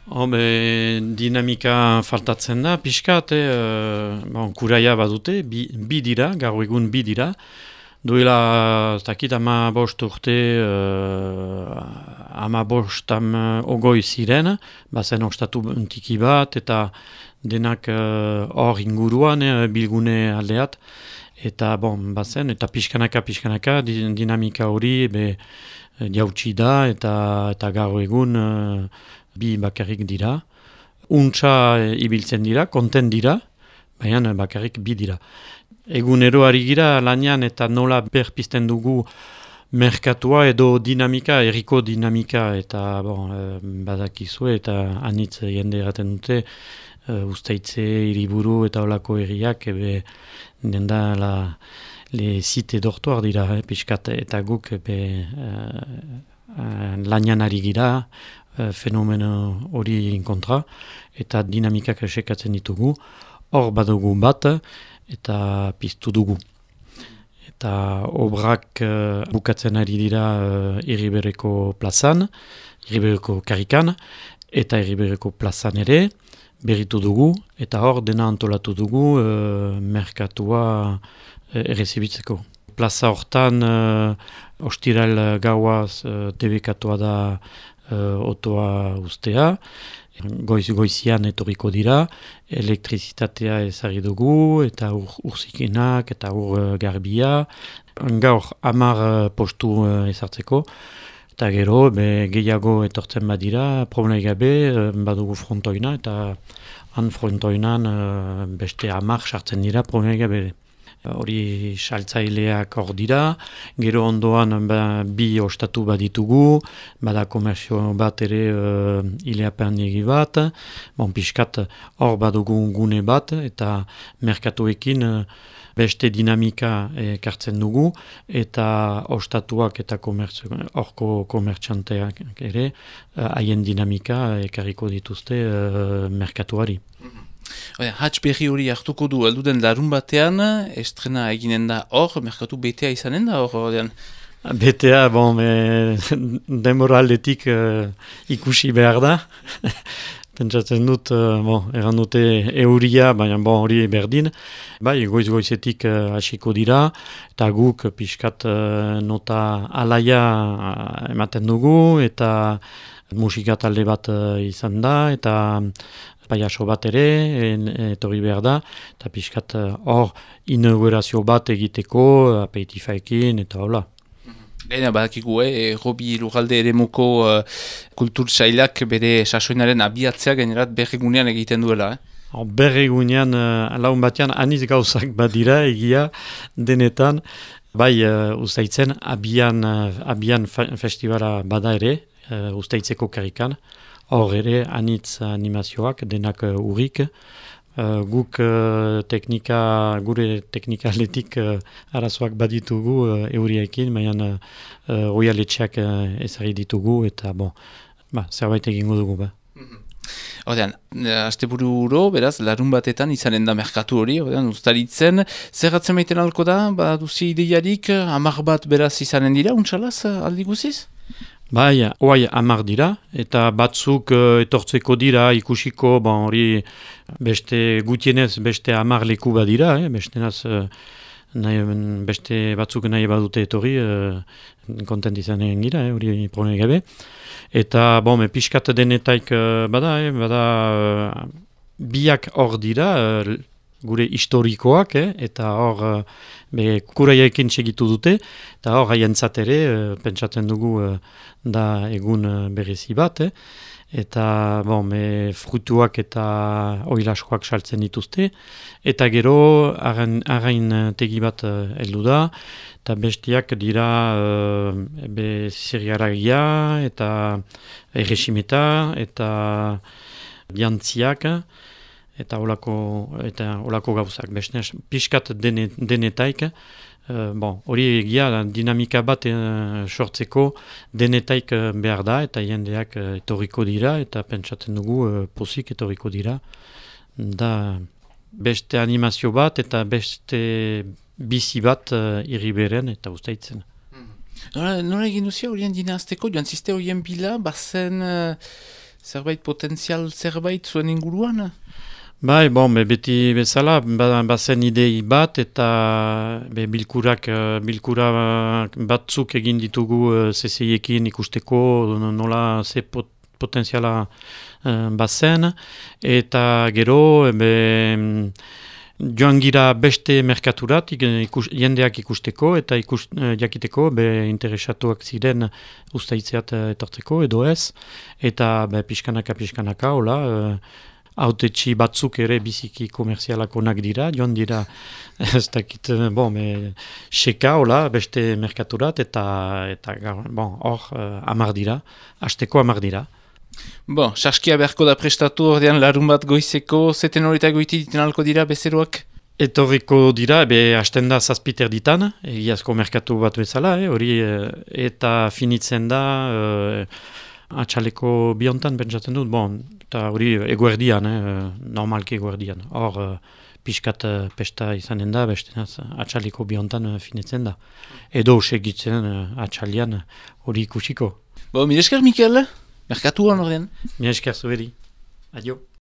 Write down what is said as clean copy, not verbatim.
Dinamika faltatzen da, pixkat, kuraia badute, bi dira, gaur egun bi dira. Duela, ez dakit, 15 urte, 15 ogoi ziren, bazen ostatu tiki bat, eta denak hor inguruan, bilgune aldeat, eta bazen, eta pixkanaka, dinamika hori jautsi da, eta gaur egun bi bakarrik dira. Untsa ibiltzen dira, konten dira, baina bakarrik bi dira. Egunero ari gira lanean eta nola berpizten dugu merkatua edo dinamika, herriko dinamika, eta badakizue eta anitz jende eraten dute, Uztaitze, Hiriburu eta olako herriak, nenda le site dortuar dira, pixkat, eta guk lanean ari gira, fenomeno hori kontra, eta dinamikak esekatzen ditugu, hor badugu bat, eta piztu dugu. Eta obrak bukatzen ari dira Iribereko plazan, Iribereko karikan, eta Iribereko plazan ere, berritu dugu, eta hor dena antolatu dugu merkatua errezibitzeko. Plaza hortan ostiral gauaz debekatua da otoa ustea, goizian etorriko dira, elektrizitatea ezagri dugu, eta urzikenak, eta garbia, gaur 10 postu ezartzeko, eta gero gehiago etortzen badira, problemai gabe, badugu frontoina, eta han frontoinan beste 10 sartzen dira problemai gabe. Hori saltzaileak hor dira, gero ondoan bi ostatu baditugu, bada komerzio bat ere ileapean egi bat, pixkat hor badugu gune bat, eta merkatuekin beste dinamika ekartzen dugu, eta ostatuak eta horko komertxanteak ere, haien dinamika ekarriko dituzte merkatuari. Hatz berri hori hartuko du, elduden larun batean, estrena eginen da hor, merkatu betea izanen da hor? Betea, denbora aldetik ikusi behar da. Pentsatzen dut, erran dute euria, baina hori berdin. Goizetik hasiko dira, eta guk pixkat nota alaia ematen dugu, eta musika talde bat izan da, eta paiaso bat ere, etorri behar da, eta pixkat hor inaugurazio bat egiteko, apeitifaekin, eta hola. Gaina badakigu, Robi Lurralde eremuko kultur sailak bere sasoinaren abiatzea gainerat berregunean egiten duela. Berregunean, laun batean, aniz gauzak badira, egia denetan, Uztaitzen abian festivala bada ere, Uztaitzeko karikan, hor ere anitz animazioak denak urrik, guk gure teknikaletik arazoak baditugu euriaekin, baina roialetxeak ezari ditugu, eta zerbait egingo dugu. Hordean, asteburu beraz, larun batetan izanen da merkatu hori, Uztaritzen, zerratzen maiten alko da, duzi ideiarik, 10 bat beraz izanen dira, untsalaz aldi guziz? Oai 10 dira, eta batzuk etortzeko dira, ikusiko, hori beste gutienez beste 10 leku badira, beste batzuk nahi badute etorri, kontent izanen gira, hori probleme gabe. Eta, pixkat denetaik bada biak hor dira, gure historikoak, eta hor kuraiaekin segitu dute, eta hor haientzat ere, pentsatzen dugu da egun berezi bat, eta frutuak eta oilaskoak saltzen dituzte, eta gero arrain tegi bat heldu da, eta bestiak dira zirgaragia, eta erresimeta, eta biantziak, eta olako gauzak. Piskat denetaik, hori egia dinamika bat sortzeko denetaik behar da, eta jendeak etorriko dira, eta pentsatzen dugu pozik etorriko dira. Da beste animazio bat, eta beste bizi bat Iriberen eta Uztaitzen. Nola egin duzia horien dinazteko, joan ziste horien bila, bazen zerbait potentzial zerbait zuen inguruan? Bai, bon, beti bezala, bazen idei bat, eta bilkura batzuk egin ditugu CCI-ekin ikusteko nola ze potentziala bazen, eta gero joan gira beste merkaturat jendeak ikusteko, eta jakiteko interesatuak ziren ustaitzeat etortzeko, edo ez, eta pixkanaka, hola, autetxi batzuk ere biziki komerzialak onak dira, joan dira, ez dakit, seka, hola, beste merkaturat, eta hor, 10 dira, hasteko 10 dira. Bon, saskia beharko da prestatu ordean larun bat goizeko, zeten horita goiti diten alko dira bezeroak? Etorriko dira, hasten da 7 ditan, egiazko merkatu bat bezala, hori, eta finitzen da, atxaleko biontan pentsatzen dut, eta hori eguerdian, normalki eguerdian. Hor, pixkat pesta izanen da, bestenaz atxaleko biontan finitzen da. Edo segitzen atxalian hori ikusiko. Mil esker, Mikel, merkatuan ordean. Mil esker zuheri. Adio.